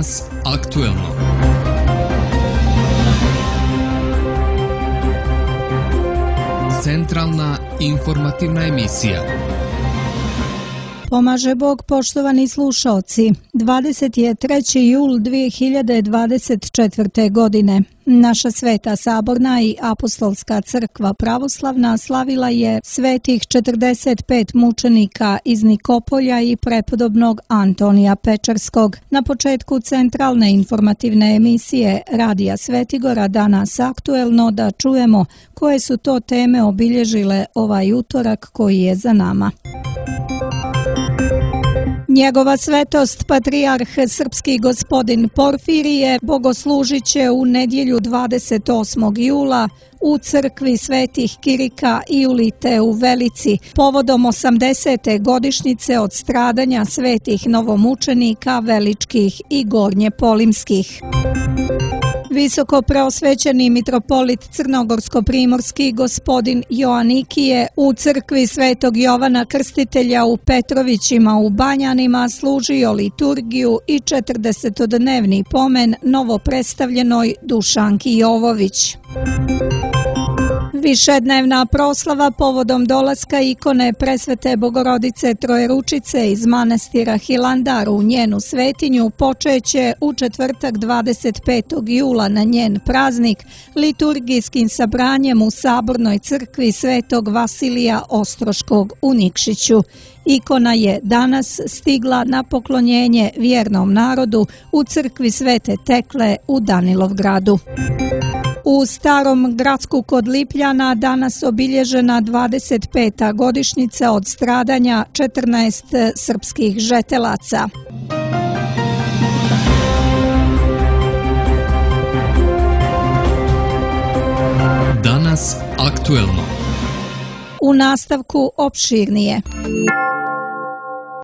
Danas aktuelno. Centralna informativna emisija. Pomaže Bog, poštovani slušaoci. 23. jul 2024. godine. Naša Sveta Saborna i Apostolska crkva pravoslavna slavila je svetih 45 mučenika iz Nikopolja i prepodobnog Antonija Pečarskog. Na početku centralne informativne emisije Radija Svetigora Danas aktuelno da čujemo koje su to teme obilježile ovaj utorak koji je za nama. Njegova svetost, patrijarh srpski gospodin Porfirije, bogoslužit će u nedjelju 28. jula u crkvi svetih Kirika i Julite u Velici, povodom 80. godišnjice od stradanja svetih novomučenika Veličkih i Gornjepolimskih. Visoko preosvećeni mitropolit Crnogorsko-primorski gospodin Joanikije u crkvi Svetog Jovana Krstitelja u Petrovićima u Banjanima služio liturgiju i 40-dnevni pomen novopredstavljenoj Dušanki Jovović. Višednevna proslava povodom dolaska ikone Presvete Bogorodice Trojeručice iz manastira Hilandar u njenu svetinju počeće u četvrtak 25. jula na njen praznik liturgijskim sabranjem u Sabornoj crkvi Svetog Vasilija Ostroškog u Nikšiću. Ikona je danas stigla na poklonjenje vjernom narodu u crkvi Svete Tekle u Danilovgradu. U Starom Gradsku kod Lipljana danas obilježena 25. godišnjica od stradanja 14 srpskih žetelaca. Danas aktuelno. U nastavku opširnije.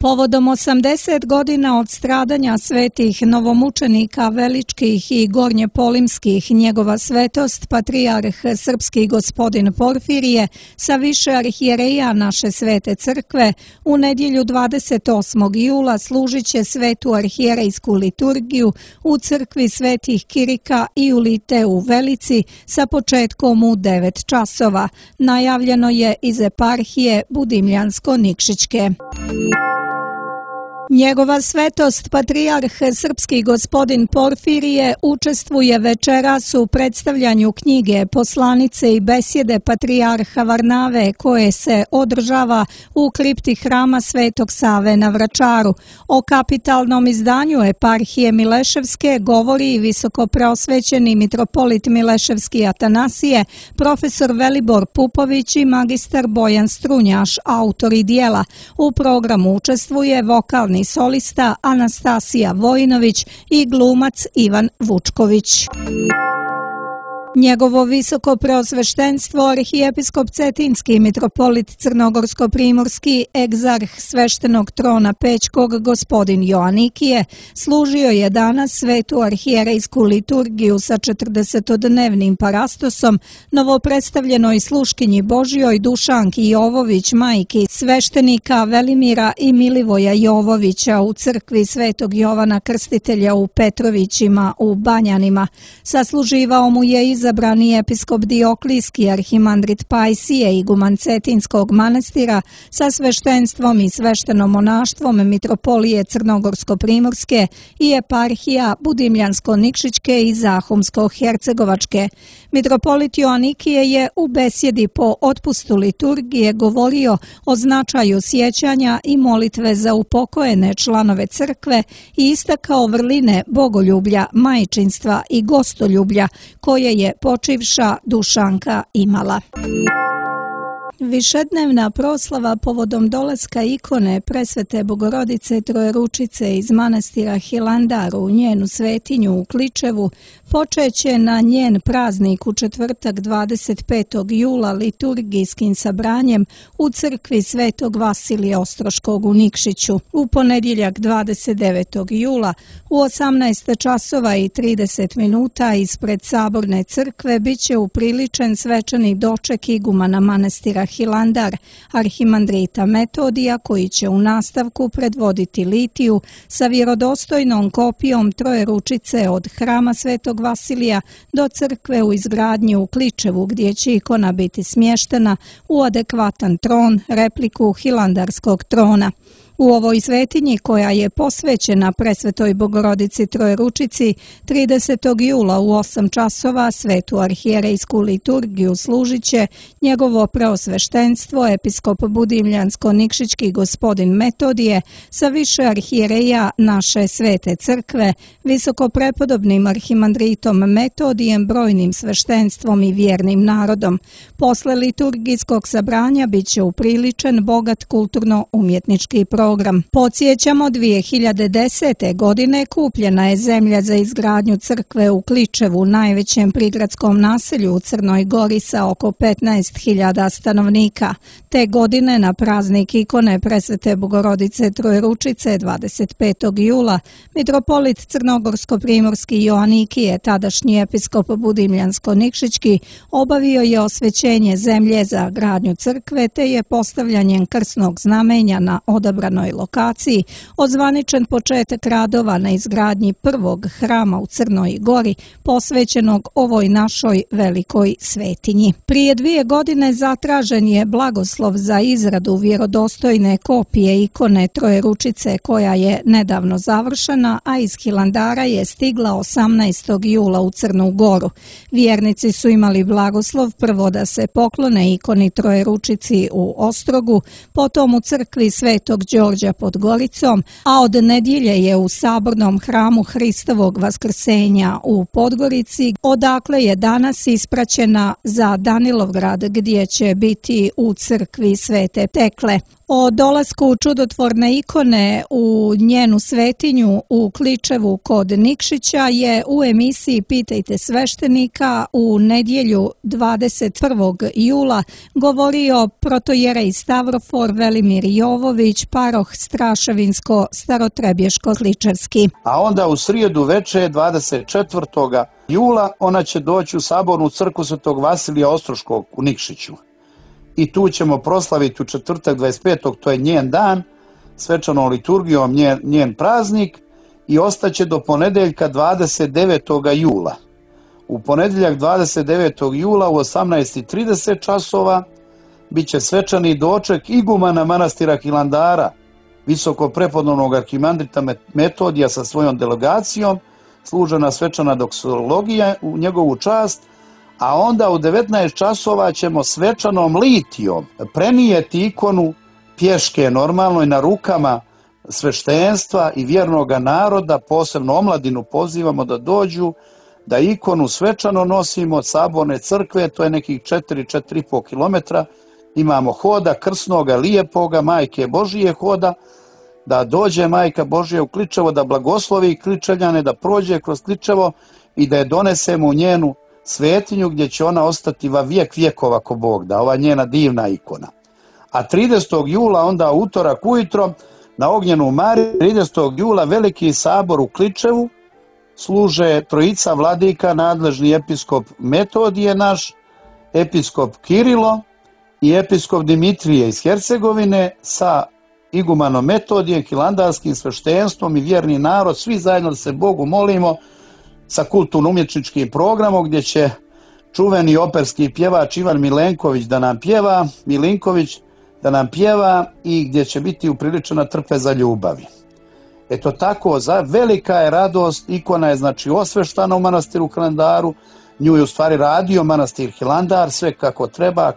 Povodom 80 godina od stradanja svetih novomučenika Veličkih i Gornjepolimskih, njegova svetost, patrijarh srpski gospodin Porfirije, sa više arhijereja naše svete crkve, u nedjelju 28. jula služit će svetu arhijerejsku liturgiju u crkvi svetih Kirika i Julite u Velici sa početkom u 9 časova. Najavljeno je iz eparhije Budimljansko-Nikšićke. Njegova svetost, patrijarh srpski gospodin Porfirije, učestvuje večeras u predstavljanju knjige Poslanice i besjede patrijarha Varnave koje se održava u kripti hrama Svetog Save na Vračaru. O kapitalnom izdanju eparhije Mileševske govori i visoko preosvećeni mitropolit Mileševski Atanasije, profesor Velibor Pupović i magistar Bojan Strunjaš, autori dijela. U programu učestvuje vokalni solista Anastasija Vojinović i glumac Ivan Vučković. Njegovo visoko preosveštenstvo arhijepiskop Cetinski mitropolit Crnogorsko-primorski egzarh sveštenog trona Pećkog gospodin Joanikije služio je danas svetu arhijerejsku liturgiju sa 40-dnevnim parastosom novopredstavljenoj sluškinji Božjoj Dušanki Jovović, majki sveštenika Velimira i Milivoja Jovovića u crkvi Svetog Jovana Krstitelja u Petrovićima u Banjanima. Sasluživao mu je izabrani episkop Dioklijski, arhimandrit Pajsije, iguman Cetinskog manastira sa sveštenstvom i sveštenomonaštvom mitropolije Crnogorsko-primorske i eparhija Budimljansko-Nikšićke i Zahumsko-hercegovačke. Mitropolit Joanikije je u besjedi po otpustu liturgije govorio o značaju sjećanja i molitve za upokojene članove crkve i istakao vrline bogoljublja, majčinstva i gostoljublja koje je počivša Dušanka imala. Višednevna proslava povodom dolaska ikone Presvete Bogorodice Trojeručice iz manastira Hilandar u njenu svetinju u Kličevu počeće na njen praznik u četvrtak 25. jula liturgijskim sabranjem u crkvi Svetog Vasilija Ostroškog u Nikšiću. U ponedjeljak 29. jula u 18 časova i 30 minuta ispred Saborne crkve biće upriličen svečani doček igumana manastira Hilandar, arhimandrita Metodija, koji će u nastavku predvoditi litiju sa vjerodostojnom kopijom Trojeručice od hrama Svetog Vasilija do crkve u izgradnji u Kličevu, gdje će ikona biti smještena u adekvatan tron, repliku hilandarskog trona. U ovoj svetinji, koja je posvećena Presvetoj Bogorodici Trojeručici, 30. jula u 8 časova svetu arhijerejsku liturgiju služit će njegovo preosveštenstvo episkop Budimljansko-Nikšićki gospodin Metodije sa više arhijereja naše svete crkve, visokoprepodobnim arhimandritom Metodijem, brojnim sveštenstvom i vjernim narodom. Posle liturgijskog sabranja bit će upriličen bogat kulturno-umjetnički program. Podsjećamo, 2010. godine kupljena je zemlja za izgradnju crkve u Kličevu, najvećem prigradskom naselju u Crnoj Gori sa oko 15.000 stanovnika. Te godine na praznik ikone Presvete Bogorodice Trojeručice 25. jula mitropolit Crnogorsko-primorski Joanikije, tadašnji episkop Budimljansko-Nikšićki, obavio je osvećenje zemlje za gradnju crkve te je postavljanjem krsnog znamenja na odabranoj lokaciji ozvaničen početak radova na izgradnji prvog hrama u Crnoj Gori posvećenog ovoj našoj velikoj svetinji. Prije 2 godine zatražen je blagoslov za izradu vjerodostojne kopije ikone Trojeručice, koja je nedavno završena, a iz Hilandara je stigla 18. jula u Crnu Goru. Vjernici su imali blagoslov prvo da se poklone ikoni Trojeručici u Ostrogu, potom u crkvi Svetog Đorđa pod Goricom, a od nedjelje je u sabornom hramu Hristovog vaskrsenja u Podgorici, odakle je danas ispraćena za Danilovgrad, gdje će biti u crkvi Svete Tekle. O dolasku čudotvorne ikone u njenu svetinju u Kličevu kod Nikšića je u emisiji Pitajte sveštenika u nedjelju 21. jula govorio protojerej Stavrofor Velimir Jovović, paroh Straševinsko-Starotrebješko-Kličevski. A onda u srijedu veče 24. jula ona će doći u sabornu crkvu Svetog Vasilija Ostroškog u Nikšiću. I tu ćemo proslaviti u četvrtak 25. to je njen dan, svečanom liturgijom njen praznik, i ostaće do ponedeljka 29. jula. U ponedjeljak 29. jula u 18:30 časova bit će svečani doček igumana manastira Hilandara, visoko prepodobnog arhimandrita Metodija sa svojom delegacijom, služena svečana doksologija u njegovu čast, a onda u 19 časova ćemo svečanom litijom prenijeti ikonu pješke normalno i na rukama sveštenstva i vjernoga naroda, posebno omladinu pozivamo da dođu, da ikonu svečano nosimo od saborne crkve, to je nekih 4,5 kilometra, imamo hoda krsnoga, lijepoga, Majke Božije hoda, da dođe Majka Božija u Kličevo, da blagoslovi Kličevljane, da prođe kroz Kličevo i da je donesemo u njenu svetinju gdje će ona ostati va vijek vjekova ako Bog da, ova njena divna ikona. A 30. jula onda utorak ujutro na Ognjenu Mariju, 30. jula veliki sabor u Kličevu, služe trojica vladika, nadležni episkop Metodije naš, episkop Kirilo i episkop Dimitrije iz Hercegovine sa igumanom Metodijem, hilandarskim sveštenstvom i vjerni narod, svi zajedno da se Bogu molimo sa kulturno-umjetničkim programom gdje će čuveni operski pjevač Ivan Milinković da nam pjeva i gdje će biti upriličena trpeza ljubavi. Eto tako, velika je radost, ikona je znači osveštana u manastiru Hilandaru, nju je u stvari radio manastir Hilandar, sve kako treba,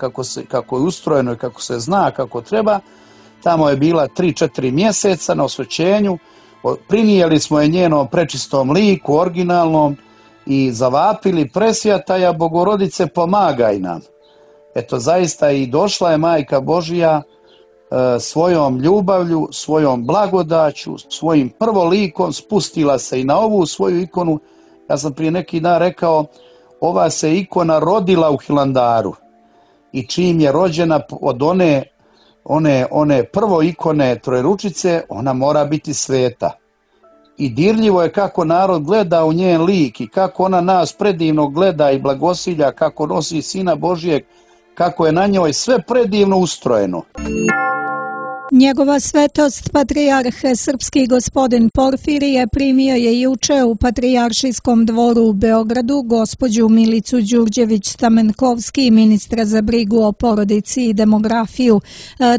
kako je ustrojeno i kako se zna kako treba. Tamo je bila 3-4 mjeseca na osvećenju, prinijeli smo je njenom prečistom liku, originalnom, i zavapili: Presvjataja Bogorodice, pomagaj nam. Eto, zaista i došla je Majka Božija svojom ljubavlju, svojom blagodaću, svojim prvolikom spustila se i na ovu svoju ikonu. Ja sam prije neki dan rekao, ova se ikona rodila u Hilandaru i čim je rođena od one prvo ikone Trojeručice, ona mora biti sveta. I dirljivo je kako narod gleda u njen lik i kako ona nas predivno gleda i blagosilja, kako nosi Sina Božijeg kako je na njoj sve predivno ustrojeno. Njegova svetost, patrijarh srpski gospodin Porfirije, primio je juče u Patrijaršijskom dvoru u Beogradu gospođu Milicu Đurđević-Stamenkovski, ministra za brigu o porodici i demografiju.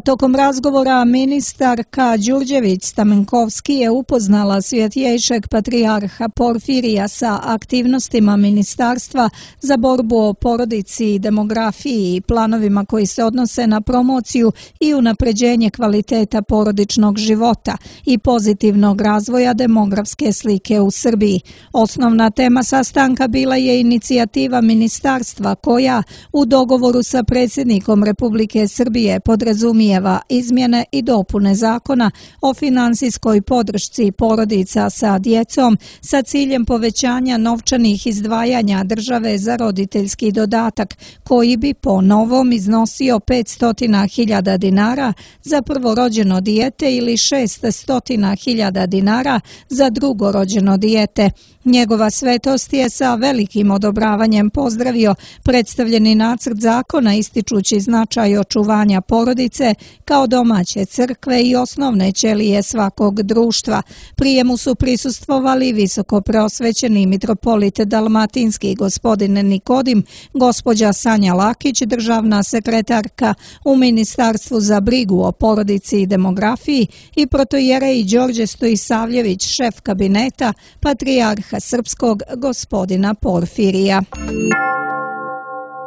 Tokom razgovora ministarka Đurđević-Stamenkovski je upoznala svjetjejšeg patrijarha Porfirija sa aktivnostima ministarstva za borbu o porodici i demografiji i planovima koji se odnose na promociju i unapređenje kvaliteta porodičnog života i pozitivnog razvoja demografske slike u Srbiji. Osnovna tema sastanka bila je inicijativa ministarstva koja u dogovoru sa predsjednikom Republike Srbije podrazumijeva izmjene i dopune zakona o finansijskoj podršci porodica sa djecom sa ciljem povećanja novčanih izdvajanja države za roditeljski dodatak koji bi po novom iznosio 500.000 dinara za prvorođeno dijete ili 600.000 dinara za drugorođeno dijete. Njegova svetost je sa velikim odobravanjem pozdravio predstavljeni nacrt zakona ističući značaj očuvanja porodice kao domaće crkve i osnovne ćelije svakog društva. Prijemu su prisustvovali visoko preosvećeni mitropolit dalmatinski gospodin Nikodim, gospođa Sanja Lakić, državna sekretarka u Ministarstvu za brigu o porodici i demografiji i protojerej Đorđe Stojisavljević, šef kabineta patrijarha srpskog gospodina Porfirija.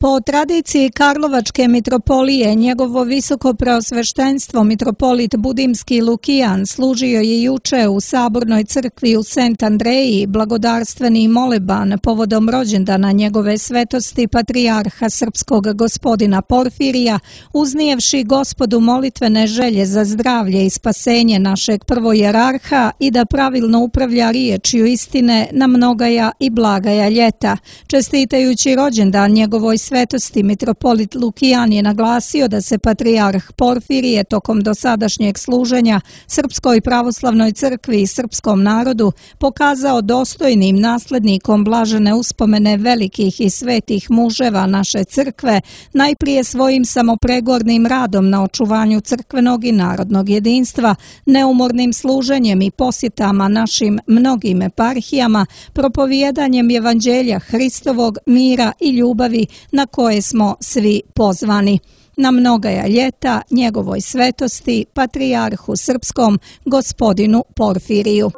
Po tradiciji Karlovačke mitropolije, njegovo visoko preosveštenstvo mitropolit Budimski Lukijan služio je juče u Sabornoj crkvi u Sent Andreji blagodarstveni moleban povodom rođendana njegove svetosti patrijarha srpskog gospodina Porfirija, uznijevši Gospodu molitvene želje za zdravlje i spasenje našeg prvojerarha i da pravilno upravlja riječju istine na mnogaja i blagaja ljeta. Čestitajući rođendan njegovoj svetosti, mitropolit Lukijan je naglasio da se patrijarh Porfirije tokom dosadašnjeg služenja Srpskoj pravoslavnoj crkvi i srpskom narodu pokazao dostojnim naslednikom blažene uspomene velikih i svetih muževa naše crkve, najprije svojim samopregornim radom na očuvanju crkvenog i narodnog jedinstva, neumornim služenjem i posjetama našim mnogim eparhijama, propovijedanjem evanđelja Hristovog, mira i ljubavi na koje smo svi pozvani. Na mnogaja ljeta njegovoj svetosti, patrijarhu srpskom, gospodinu Porfiriju.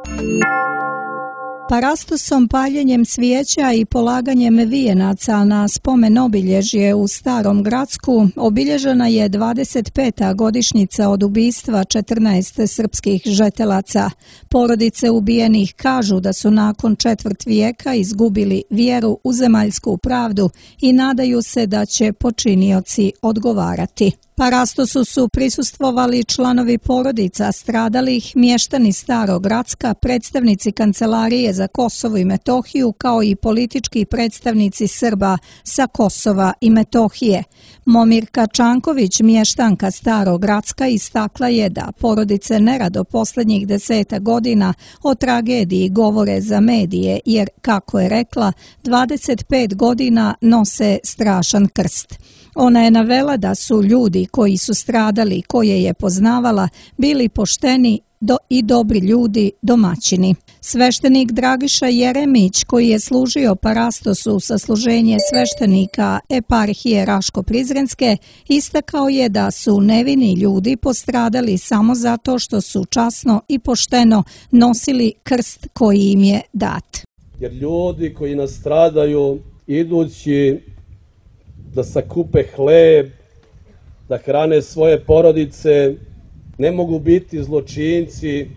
Parastosom, paljenjem svijeća i polaganjem vijenaca na spomen obilježje u Starom Gracku obilježena je 25. godišnjica od ubistva 14 srpskih žetelaca. Porodice ubijenih kažu da su nakon četvrt vijeka izgubili vjeru u zemaljsku pravdu i nadaju se da će počinioci odgovarati. Parastosu su prisustvovali članovi porodica stradalih, mještani Starog Gracka, predstavnici Kancelarije za Kosovo i Metohiju, kao i politički predstavnici Srba sa Kosova i Metohije. Momirka Čanković, mještanka Starog Gracka, istakla je da porodice nerado posljednjih 10 godina o tragediji govore za medije, jer, kako je rekla, 25 godina nose strašan krst. Ona je navela da su ljudi koji su stradali, koje je poznavala, bili pošteni i dobri ljudi, domaćini. Sveštenik Dragiša Jeremić, koji je služio Parastosu sa služenje sveštenika eparhije Raško-Prizrenske, istakao je da su nevini ljudi postradali samo zato što su časno i pošteno nosili krst koji im je dat. Jer ljudi koji nastradaju idući da sakupe hleb, da hrane svoje porodice, ne mogu biti zločinci,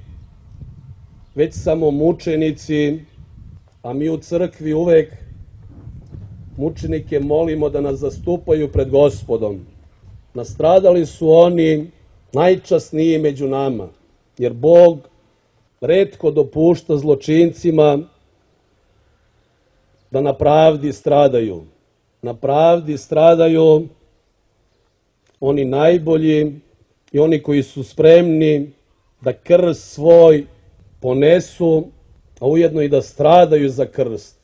već samo mučenici, a mi u crkvi uvek mučenike molimo da nas zastupaju pred Gospodom. Nastradali su oni najčasniji među nama, jer Bog retko dopušta zločincima da na pravdi stradaju. Na pravdi stradaju oni najbolji i oni koji su spremni da krst svoj ponesu, a ujedno i da stradaju za krst.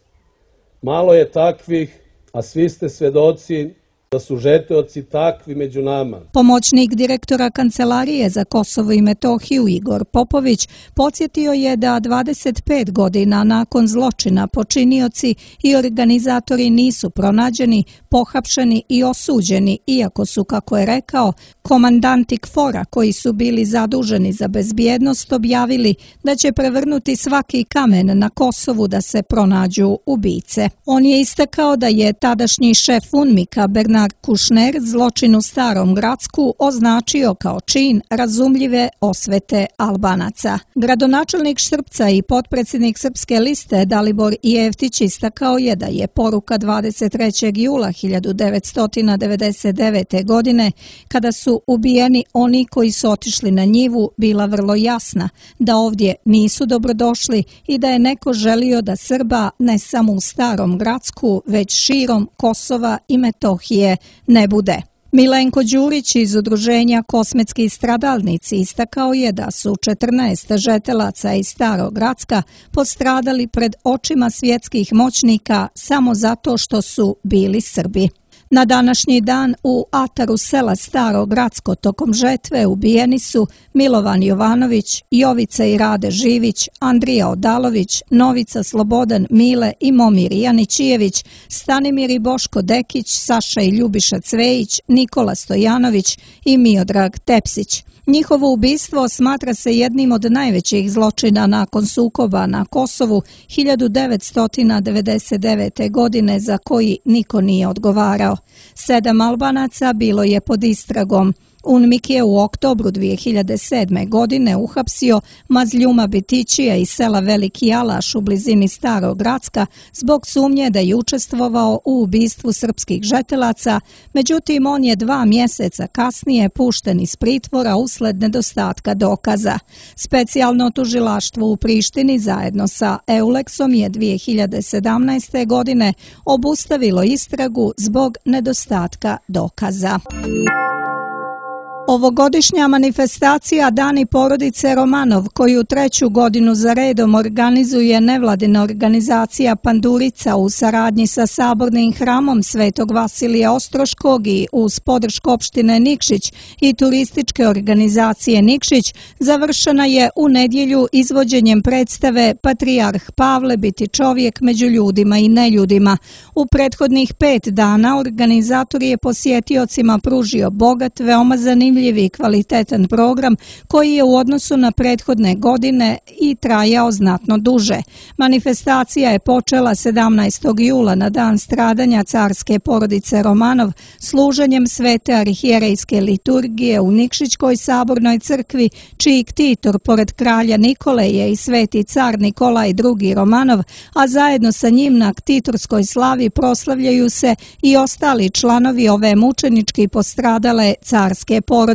Malo je takvih, a svi ste svedoci da su žeteoci takvi među nama. Pomoćnik direktora Kancelarije za Kosovo i Metohiju Igor Popović podsjetio je da 25 godina nakon zločina počinioci i organizatori nisu pronađeni, pohapšeni i osuđeni, iako su, kako je rekao, komandanti KFOR-a koji su bili zaduženi za bezbjednost objavili da će prevrnuti svaki kamen na Kosovu da se pronađu ubice. On je istakao da je tadašnji šef UNMIK-a Bernard Kouchner zločin u Starom Gracku označio kao čin razumljive osvete Albanaca. Gradonačelnik Štrpca i potpredsjednik Srpske liste Dalibor Jeftić istakao je da je poruka 23. jula 1999. godine, kada su ubijeni oni koji su otišli na njivu, bila vrlo jasna, da ovdje nisu dobrodošli i da je neko želio da Srba ne samo u Starom Gracku, već širom Kosova i Metohije ne bude. Milenko Đurić iz udruženja Kosmetski stradalnici istakao je da su 14 žetelaca iz Starog Gracka postradali pred očima svjetskih moćnika samo zato što su bili Srbi. Na današnji dan u ataru sela Staro Gracko tokom žetve ubijeni su Milovan Jovanović, Jovica i Rade Živić, Andrija Odalović, Novica Slobodan Mile i Momir Janićijević, Stanimir i Boško Dekić, Saša i Ljubiša Cvejić, Nikola Stojanović i Miodrag Tepsić. Njihovo ubistvo smatra se jednim od najvećih zločina nakon sukoba na Kosovu 1999. godine za koji niko nije odgovarao. 7 Albanaca bilo je pod istragom. UNMIK je u oktobru 2007. godine uhapsio Mazljuma Bitićija iz sela Veliki Alaš u blizini Starog Gracka zbog sumnje da je učestvovao u ubistvu srpskih žetelaca, međutim on je 2 mjeseca kasnije pušten iz pritvora usled nedostatka dokaza. Specijalno tužilaštvo u Prištini zajedno sa EULEX-om je 2017. godine obustavilo istragu zbog nedostatka dokaza. Ovogodišnja manifestacija Dani porodice Romanov, koju 3. godinu za redom organizuje nevladina organizacija Pandurica u saradnji sa Sabornim hramom Svetog Vasilija Ostroškog i uz podršku opštine Nikšić i turističke organizacije Nikšić, završena je u nedjelju izvođenjem predstave Patrijarh Pavle biti čovjek među ljudima i neljudima. U prethodnih 5 dana organizator je posjetiocima pružio bogat, veoma zanimljiv i kvalitetan program koji je u odnosu na prethodne godine i trajao znatno duže. Manifestacija je počela 17. jula na dan stradanja carske porodice Romanov služenjem svete arhijerejske liturgije u Nikšićkoj sabornoj crkvi, čiji ktitor pored kralja Nikole je i sveti car Nikolaj II. Romanov, a zajedno sa njim na ktitorskoj slavi proslavljaju se i ostali članovi ove mučenički postradale carske porodice.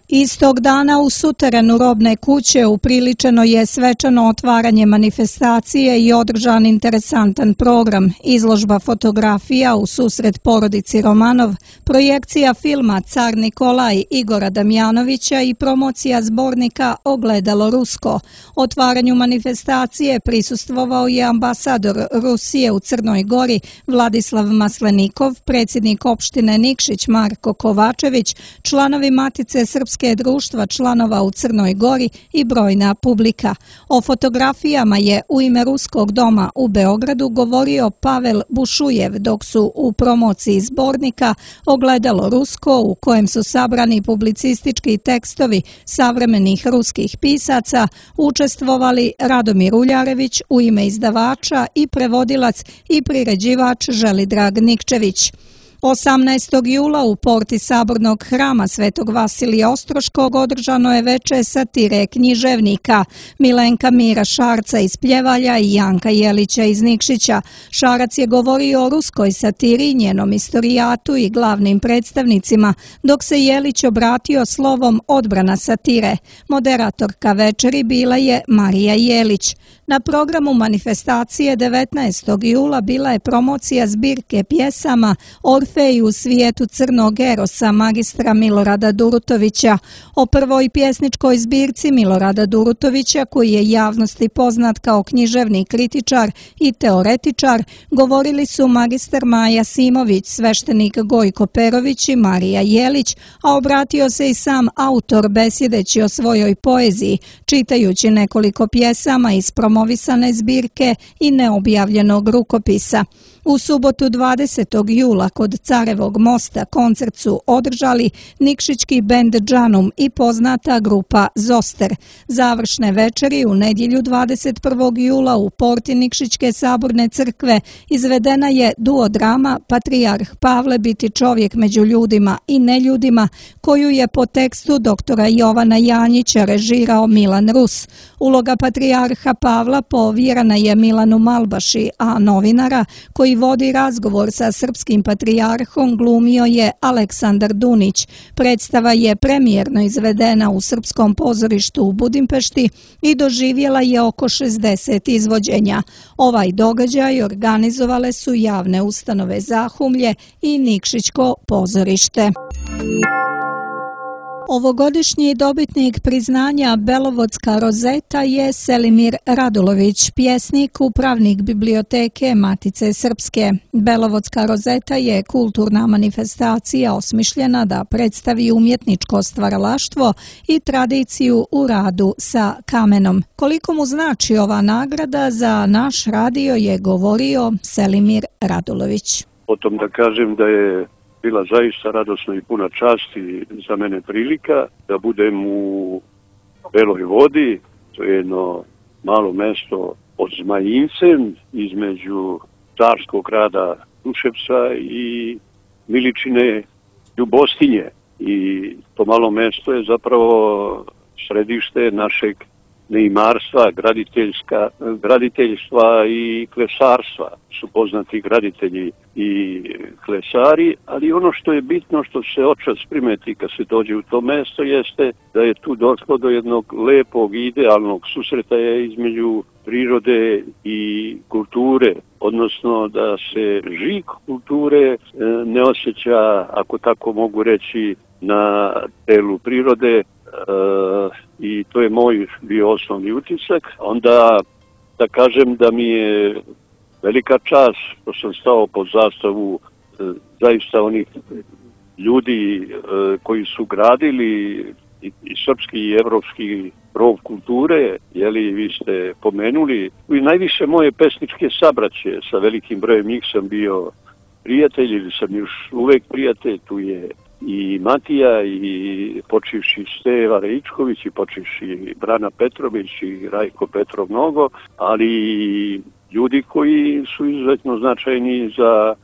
Istog dana u suterenu robne kuće upriličeno je svečano otvaranje manifestacije i održan interesantan program, izložba fotografija u susret porodici Romanov, projekcija filma Car Nikolaj Igora Damjanovića i promocija zbornika Ogledalo Rusko. Otvaranju manifestacije prisustvovao je ambasador Rusije u Crnoj Gori Vladislav Maslenikov, predsjednik opštine Nikšić Marko Kovačević, članovi Matice Srpske društva članova u Crnoj Gori i brojna publika. O fotografijama je u ime Ruskog doma u Beogradu govorio Pavel Bušujev, dok su u promociji zbornika Ogledalo Rusko, u kojem su sabrani publicistički tekstovi savremenih ruskih pisaca, učestvovali Radomir Uljarević u ime izdavača i prevodilac i priređivač Želidrag Nikčević. 18. jula u porti Sabornog hrama Svetog Vasilija Ostroškog održano je veče satire književnika Milenka Mira Šarca iz Pljevalja i Janka Jelića iz Nikšića. Šarac je govorio o ruskoj satiri, njenom istorijatu i glavnim predstavnicima, dok se Jelić obratio slovom odbrana satire. Moderatorka večeri bila je Marija Jelić. Na programu manifestacije 19. jula bila je promocija zbirke pjesama Orfej u svijetu crnog erosa magistra Milorada Durutovića, o prvoj pjesničkoj zbirci Milorada Durutovića, koji je javnosti poznat kao književni kritičar i teoretičar, govorili su magistar Maja Simović, sveštenik Gojko Perović i Marija Jelić, a obratio se i sam autor besjedeći o svojoj poeziji, čitajući nekoliko pjesama iz promovisane zbirke i neobjavljenog rukopisa. U subotu 20. jula kod Carevog mosta koncert su održali nikšićki bend Džanum i poznata grupa Zoster. Završne večeri u nedjelju 21. jula u porti Nikšićke saborne crkve izvedena je duodrama Patrijarh Pavle biti čovjek među ljudima i neljudima, koju je po tekstu doktora Jovana Janjića režirao Milan Rus. Uloga Patrijarha Pavla povjerena je Milanu Malbaši, a novinara koji vodi razgovor sa srpskim patrijarhom glumio je Aleksandar Dunić. Predstava je premijerno izvedena u Srpskom pozorištu u Budimpešti i doživjela je oko 60 izvođenja. Ovaj događaj organizovale su javne ustanove Zahumlje i Nikšićko pozorište. Ovogodišnji dobitnik priznanja Belovodska rozeta je Selimir Radulović, pjesnik, upravnik biblioteke Matice Srpske. Belovodska rozeta je kulturna manifestacija osmišljena da predstavi umjetničko stvaralaštvo i tradiciju u radu sa kamenom. Koliko mu znači ova nagrada za naš radio je govorio Selimir Radulović. Potom da kažem da je bila zaista radosna i puna časti za mene prilika da budem u Beloj Vodi, to je jedno malo mesto pod Zmajincem između carskog grada Kruševca i Miličine Ljubostinje. I to malo mesto je zapravo središte našeg neimarstva, graditeljstva i klesarstva. Su poznati graditelji i klesari, ali ono što je bitno, što se očas primeti kad se dođe u to mesto, jeste da je tu došlo do jednog lepog i idealnog susretaja između prirode i kulture, odnosno da se žig kulture ne osjeća, ako tako mogu reći, na telu prirode, i to je moj bio osnovni utisak. Onda da kažem da mi je velika čast što sam stao pod zastavu zaista onih ljudi koji su gradili i srpski i evropski rov kulture, jeli vi ste pomenuli. I najviše moje pesničke sabraće, sa velikim brojem njih sam bio prijatelj ili sam još uvek prijatelj, tu je i Matija i počivši Steva Reičković i počivši Brana Petrović i Rajko Petrov mnogo, ali ljudi koji su izuzetno značajni za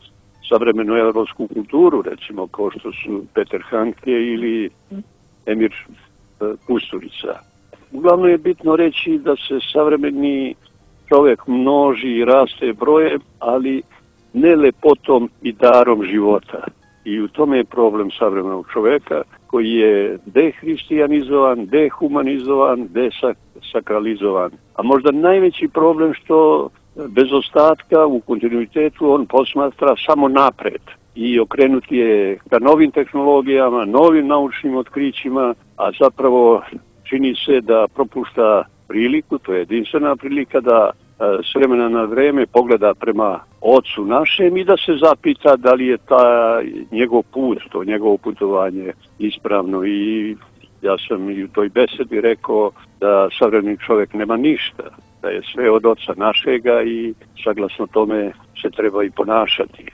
savremenu evropsku kulturu, recimo kao što su Peter Handke ili Emir Kusturica. Uglavnom je bitno reći da se savremeni čovjek množi i raste brojem, ali ne lepotom i darom života. I u tome je problem savremenog čovjeka koji je dehrišćanizovan, dehumanizovan, desakralizovan. A možda najveći problem što bez ostatka u kontinuitetu on posmatra samo napred i okrenuti je ka novim tehnologijama, novim naučnim otkrićima, a zapravo čini se da propušta priliku, to je jedinstvena prilika da s vremena na vreme pogleda prema ocu našem i da se zapita da li je njegov put, to njegovo putovanje ispravno. I ja sam i u toj besedi rekao da savremeni čovjek nema ništa, da je sve od oca našega i saglasno tome se treba i ponašati.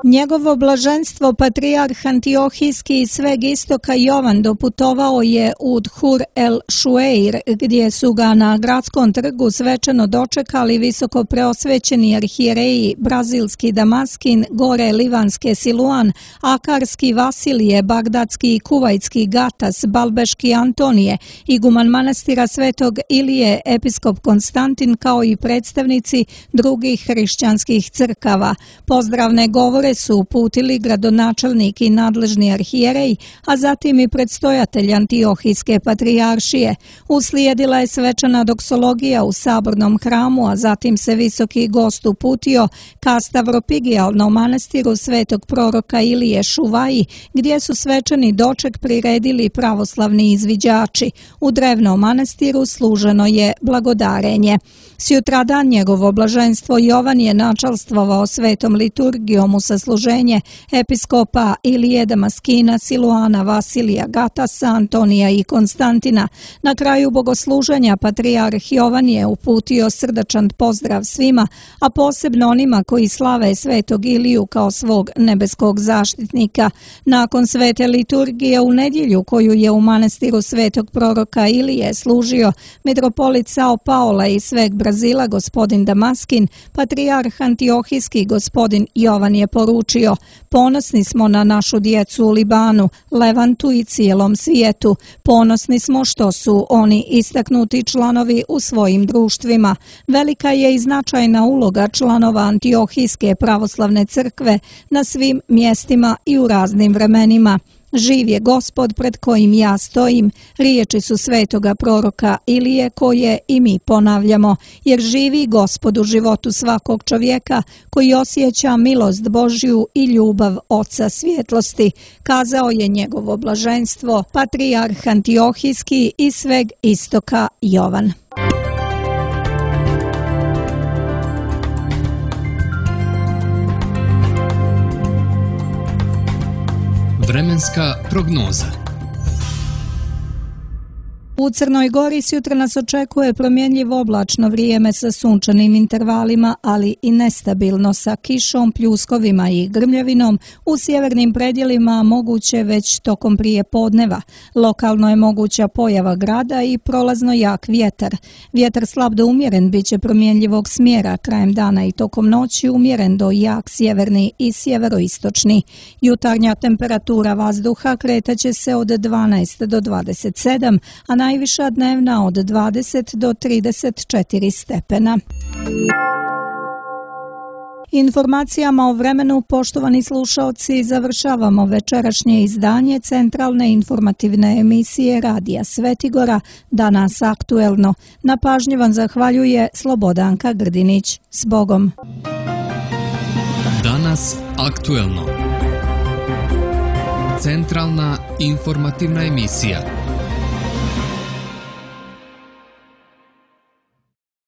Njegovo blaženstvo patrijarh Antiohijski iz sveg istoka Jovan doputovao je u Dhur el Šueir, gdje su ga na gradskom trgu svečano dočekali visoko preosvećeni arhijereji brazilski Damaskin, gore livanske Siluan, akarski Vasilije, bagdadski i kuvajtski Gatas, balbeški Antonije, iguman manastira Svetog Ilije, episkop Konstantin, kao i predstavnici drugih hrišćanskih crkava. Pozdravne govore su uputili gradonačelnik i nadležni arhijerej, a zatim i predstojatelj Antiohijske patrijaršije. Uslijedila je svečana doksologija u sabornom hramu, a zatim se visoki gost uputio ka Stavropigijalnom manastiru svetog proroka Ilije Šuvaji, gdje su svečani doček priredili pravoslavni izviđači. U drevnom manastiru služeno je blagodarenje. Sjutradan njegovo blaženstvo Jovan je načalstvovao svetom liturgijom u sasluženje episkopa Ilije Damaskina, Siluana, Vasilija, Gatasa, Antonija i Konstantina. Na kraju bogosluženja patrijarh Jovan je uputio srdačan pozdrav svima, a posebno onima koji slave svetog Iliju kao svog nebeskog zaštitnika. Nakon svete liturgije u nedjelju koju je u manastiru svetog proroka Ilije služio mitropolit Sao Paola i sveg Brazila gospodin Damaskin, patrijarh Antiohijski gospodin Jovan je poručio: ponosni smo na našu djecu u Libanu, Levantu i cijelom svijetu. Ponosni smo što su oni istaknuti članovi u svojim društvima. Velika je i značajna uloga članova Antiohijske pravoslavne crkve na svim mjestima i u raznim vremenima. Živ je Gospod pred kojim ja stojim, riječi su svetoga proroka Ilije koje i mi ponavljamo, jer živi Gospod u životu svakog čovjeka koji osjeća milost Božju i ljubav Oca svjetlosti, kazao je njegovo blaženstvo, patrijarh Antiohijski i sveg istoka Jovan. Vremenska prognoza. U Crnoj Gori sutra nas očekuje promjenjivo oblačno vrijeme sa sunčanim intervalima, ali i nestabilno sa kišom, pljuskovima i grmljavinom. U sjevernim predjelima moguće već tokom prije podneva. Lokalno je moguća pojava grada i prolazno jak vjetar. Vjetar slab do umjeren bit će promjenjivog smjera, krajem dana i tokom noći umjeren do jak sjeverni i sjeveroistočni. Jutarnja temperatura vazduha kretaće se od 12 do 27, a najviša dnevna od 20 do 34 stepena. Informacijama o vremenu, poštovani slušaoci, završavamo večerašnje izdanje centralne informativne emisije Radija Svetigora, Danas aktuelno. Na pažnji vam zahvaljuje Slobodanka Grdinić. S Bogom! Danas aktuelno. Centralna informativna emisija.